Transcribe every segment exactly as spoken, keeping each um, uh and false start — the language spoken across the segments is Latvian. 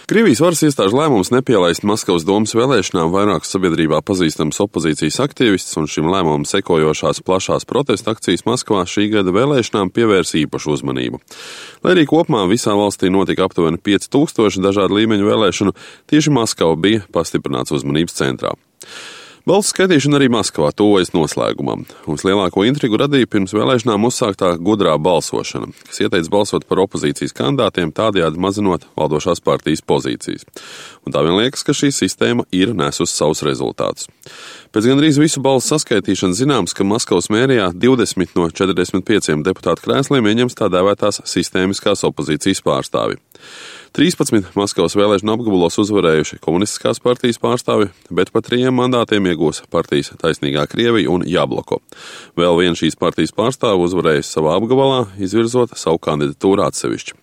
Krievijas varas iestāžu lēmums nepielaist Maskavas domas vēlēšanām vairākas sabiedrībā pazīstamas opozīcijas aktīvistus un šim lēmumam sekojošās plašās protesta akcijas Maskavā šī gada vēlēšanām pievērs īpašu uzmanību. Lai arī kopumā visā valstī notika aptuveni pieci tūkstoši dažādu līmeņu vēlēšanu, tieši Maskava bija pastiprināts uzmanības centrā. Balsu skaitīšana arī Maskavā tuvojas noslēgumam. Mums lielāko intrigu radīja pirms vēlēšanām uzsāktā gudrā balsošana, kas ieteica balsot par opozīcijas kandidātiem, tādējādi mazinot valdošās partijas pozīcijas. Un tā vien liekas, ka šī sistēma ir nesusi savus rezultātus. Pēc gandrīz visu balsu saskaitīšanas zināms, ka Maskavas mērijā divdesmit no četrdesmit pieciem deputātu krēsliem ieņems tā dēvētās sistēmiskās opozīcijas pārstāvi. trīspadsmit Maskavas vēlēšanu apgabalos uzvarējuši komunistiskās partijas pārstāvi, bet pa trījiem mandātiem iegūs partijas Taisnīgā Krievija un Jabloko. Vēl viena šīs partijas pārstāve uzvarējusi savā apgabalā, izvirzot savu kandidatūru atsevišķi.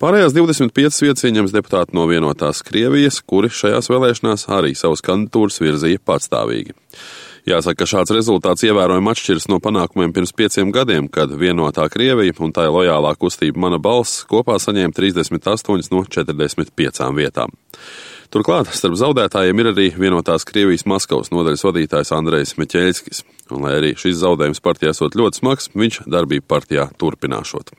Pārējās divdesmit piecas vietas ieņems deputāti no vienotās Krievijas, kuri šajās vēlēšanās arī savas kandidatūras virzīja patstāvīgi. Jāsaka, ka šāds rezultāts ievērojami atšķiras no panākumiem pirms pieciem gadiem, kad vienotā Krievija un tai lojālā kustība Mana balss kopā saņēma trīsdesmit astoņas no četrdesmit piecām vietām. Turklāt starp zaudētājiem ir arī vienotās Krievijas Maskavas nodaļas vadītājs Andrejs Meķeļskis, un lai arī šis zaudējums partijā esot ļoti smags, viņš darbību partijā turpināšot.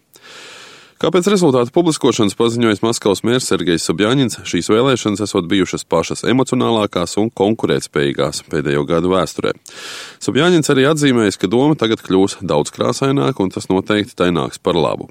Kā pēc rezultātu publiskošanas paziņojis Maskavas mērs Sergejs Sobjaņins, šīs vēlēšanas esot bijušas pašas emocionālākās un konkurētspējīgās pēdējo gadu vēsturē. Sobjaņins arī atzīmējis, ka doma tagad kļūs daudz krāsaināka un tas noteikti tai nāks par labu.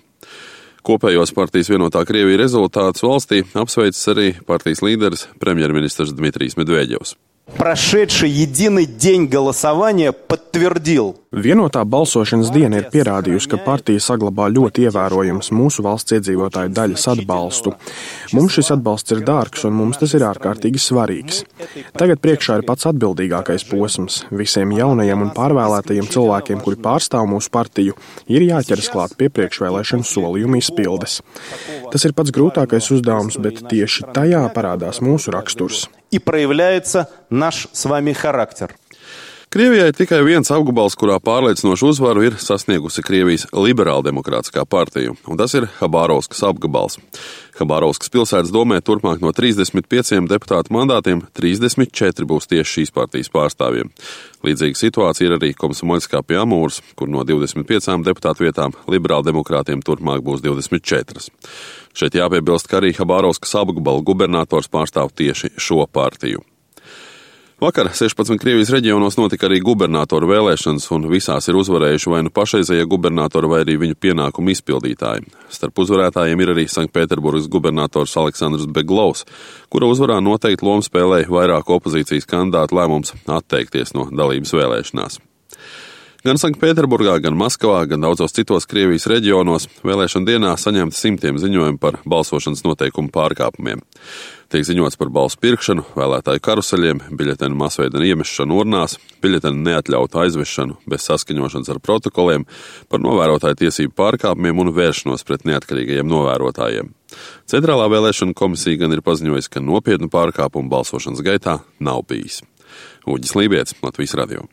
Kopējos partijas vienotā Krievija rezultātus valstī apsveicis arī partijas līderis premjerministrs Dmitrijs Medvedjevs. Прошедший единый день голосования подтвердил. Vienotā balsošanas diena ir pierādījusi, ka partija saglabā ļoti ievērojams mūsu valsts iedzīvotāju daļas atbalstu. Mums šis atbalsts ir dārgs un mums tas ir ārkārtīgi svarīgs. Tagad priekšā ir pats atbildīgākais posms. Visiem jaunajiem un pārvēlētajiem cilvēkiem, kuri pārstāv mūsu partiju, ir jāķeras klāt pie priekšvēlēšanu solījumu izpildes. Tas ir pats grūtākais uzdevums, bet tieši tajā parādās mūsu raksturs. И проявляется наш с вами характер. Krievijai ir tikai viens apgabals, kurā pārliecinošu uzvaru ir sasniegusi Krievijas liberāldemokrātiskā partija, un tas ir Habārovskas apgabals. Habārovskas pilsētas domē turpmāk no trīsdesmit pieciem deputātu mandātiem trīsdesmit četri būs tieši šīs partijas pārstāvjiem. Līdzīga situācija ir arī Komsomoļskā pie Amūras, kur no divdesmit piecām deputātu vietām liberāldemokrātiem turpmāk būs divdesmit četras. Šeit jāpiebilst, ka arī Habārovskas apgabala gubernators pārstāv tieši šo partiju. Vakar sešpadsmit Krievijas reģionos notika arī gubernatoru vēlēšanas, un visās ir uzvarējuši vai nu pašreizējie gubernatori, vai arī viņu pienākumu izpildītāji. Starp uzvarētājiem ir arī Sanktpēterburgas gubernators Aleksandrs Beglovs, kura uzvarā noteikti lomu spēlēja vairāku opozīcijas kandidātu lēmums atteikties no dalības vēlēšanās. Gan Sanktpēterburgā, gan Maskavā, gan daudzos citos Krievijas reģionos vēlēšana dienā saņemti simtiem ziņojumu par balsošanas noteikumu pārkāpumiem. Tiek ziņots par balsu pirkšanu, vēlētāju karuseļiem, biļetenu masveida iemešanu urnās, biļetenu neatļautu aizvešanu bez saskaņošanas ar protokoliem, par novērotāju tiesību pārkāpumiem un vēršanos pret neatkarīgajiem novērotājiem. Centrālā vēlēšana komisija gan ir paziņojusi, ka nopietnu pārkāpumu balsošanas gaitā nav bijis. Uģis Lībietis, Latvijas radio.